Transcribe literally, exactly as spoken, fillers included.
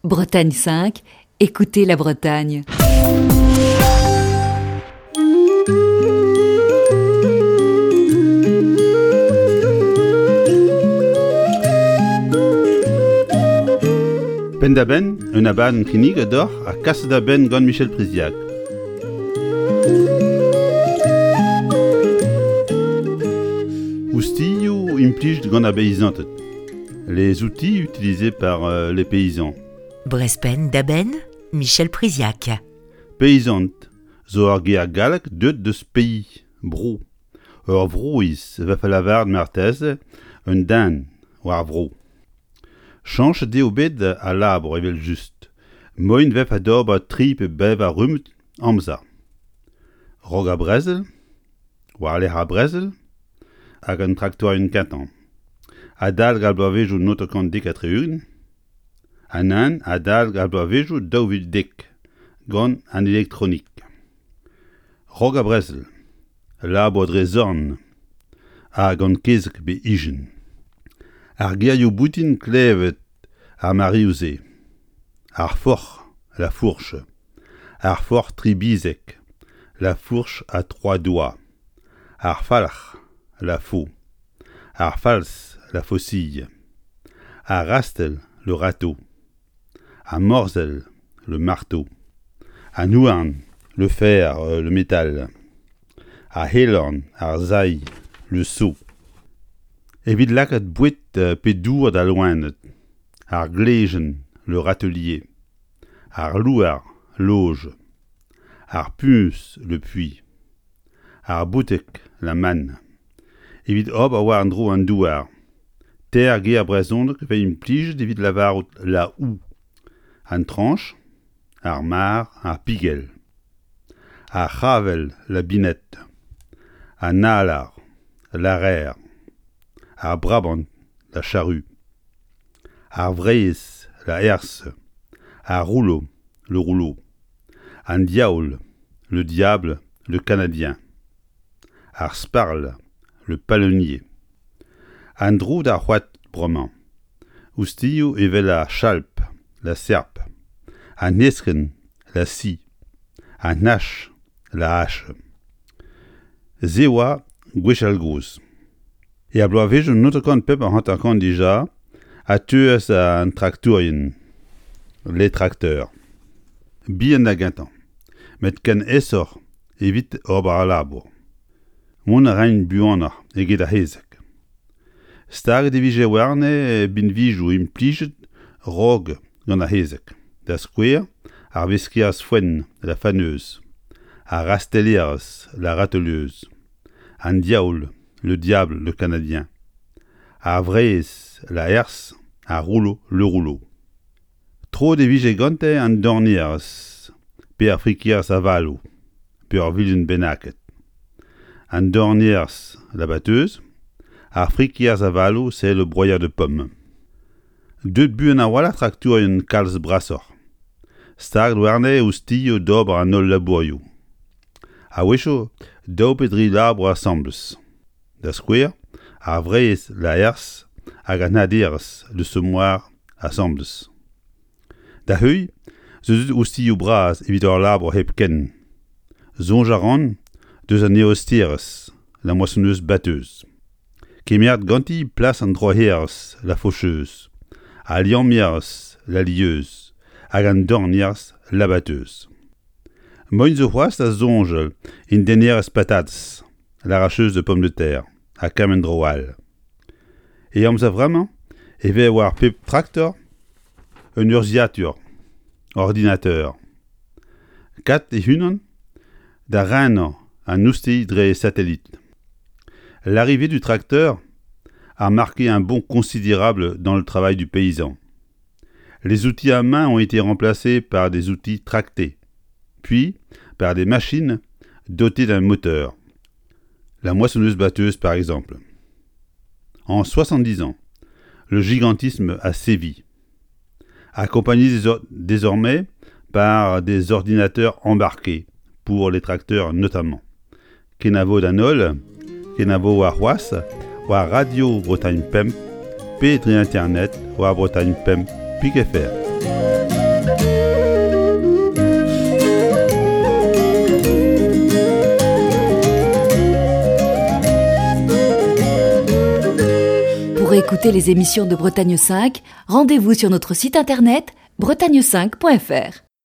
Bretagne cinq, écoutez la Bretagne. Penn-da-benn, un abadenn kinniget deoc'h ha kaset da benn gant Michel Priziac. Oustilhoù implijet gant ar beizanted. Les outils utilisés par euh, les paysans. Brezh Penn-da-Benn, Michel Priziac. Paysant zo ur ger gallek deuet deus pays, bro. Ur vroiz vefe lavaret marteze un den war vro. Chañchet eo bet al labour evel-just. Moaien vefe d'ober tri pe bevar rummad amzer. Raok ar brezel, war-lerc'h ar brezel, hag an traktorien kentañ. Adalek ar bloavezhioù naontek dek ha tri-ugent, ha nann adalek ar bloavezhioù daou vil dek, gant an elektronik. Raok ar brezel, labour dre zorn ha gant kezeg pe ijin. Ar gerioù boutin klevet ar mareoù-se. Ar forc'h, la fourche. Ar forc'h tri bizek, la fourche à trois doigts. Ar falc'h, la faux. Ar falz, la faucille. Ar rastell, le râteau. Ar morzhell, le marteau. An houarn, le fer, euh, le métal. Ar c'helorn, ar sailh, le seau. Evit lakaat boued pe dour d'al loened. Ar glejenn, le râtelier. Ar louar, l'auge. Ar puñs, le puits. Ar bouteg, la manne. Evit ober war an dro an douar. Teir ger brezhonek vez implijet evit lavarout la houe. An trañch, ar mar, ar pigell. Ar c'havell, la binette. An alar, l'araire. Ar brabant, la charrue. Ar wrez, la herse. Ar rouleau, le rouleau. An diaoul, le diable, le canadien. Ar sparl, le palonnier. An dro d'ar c'hoad bremañ. Oustilhoù evel ar chalp, la serpe. An heskenn, la scie. An hach, la hache. Se oa gwechall-gozh. Er bloavezhioù naontek pemp ha hanter-kant dija a teuas an traktourien, les tracteurs. Bihan da gentañ, met ken aesoc'h evit ober al labour. Mont a raint buanoc'h eget ar c'hezeg. Staget e vije warne binvioù implijet raok gant ar c'hezeg. Da skouer, ar veskerez foenn, la faneuse, ar rastellerez, la râteleuse, an diaoul, le diable, le canadien, ar wrez, la herse, ar rouleau, le rouleau. Troet e vije gante an dornierez, pe ar frikerez avaloù, pe ur vilin bennaket. An dornierez, la batteuse, ar frikerez avaloù, c'est le broyeur de pommes. Deuet buan a-walc'h traktourien kalz brasoc'h. Staget warne oustilhoù d'ober an holl labourioù. A-wechoù, daou pe dri labour asambles. Da skouer, ar wrez, la herse, hag an haderez, le semoir, asambles. Da heuilh, zo deuet oustilhoù bras evit ur labour hepken. Soñj a ran deus an eosterez, la moissonneuse batteuse. Kemeret ganti plas an droc'herez, la faucheuse, al liammerez, la lieuse, hag an dornierez, la batteuse. Moaien zo c'hoazh da soñjal en dennerez patatez, l'arracheuse de pommes de terre, ha kement dro all. E amzer vremañ e vez war pep traktor un urzhiatur, ordinateur. Kat e-unan da renañ an oustilh dre satellite. L'arrivée du tracteur a marqué un bond considérable dans le travail du paysan. Les outils à main ont été remplacés par des outils tractés, puis par des machines dotées d'un moteur. La moissonneuse batteuse par exemple. En soixante-dix ans, le gigantisme a sévi, accompagné désormais par des ordinateurs embarqués, pour les tracteurs notamment. Kenavo d'an holl, kenavo warc'hoazh, war Radio Bretagne Pemp, pe dre internet war Bretagne Pemp pik F R. réécouter les émissions de Bretagne cinq, rendez-vous sur notre site internet bretagne cinq point F R.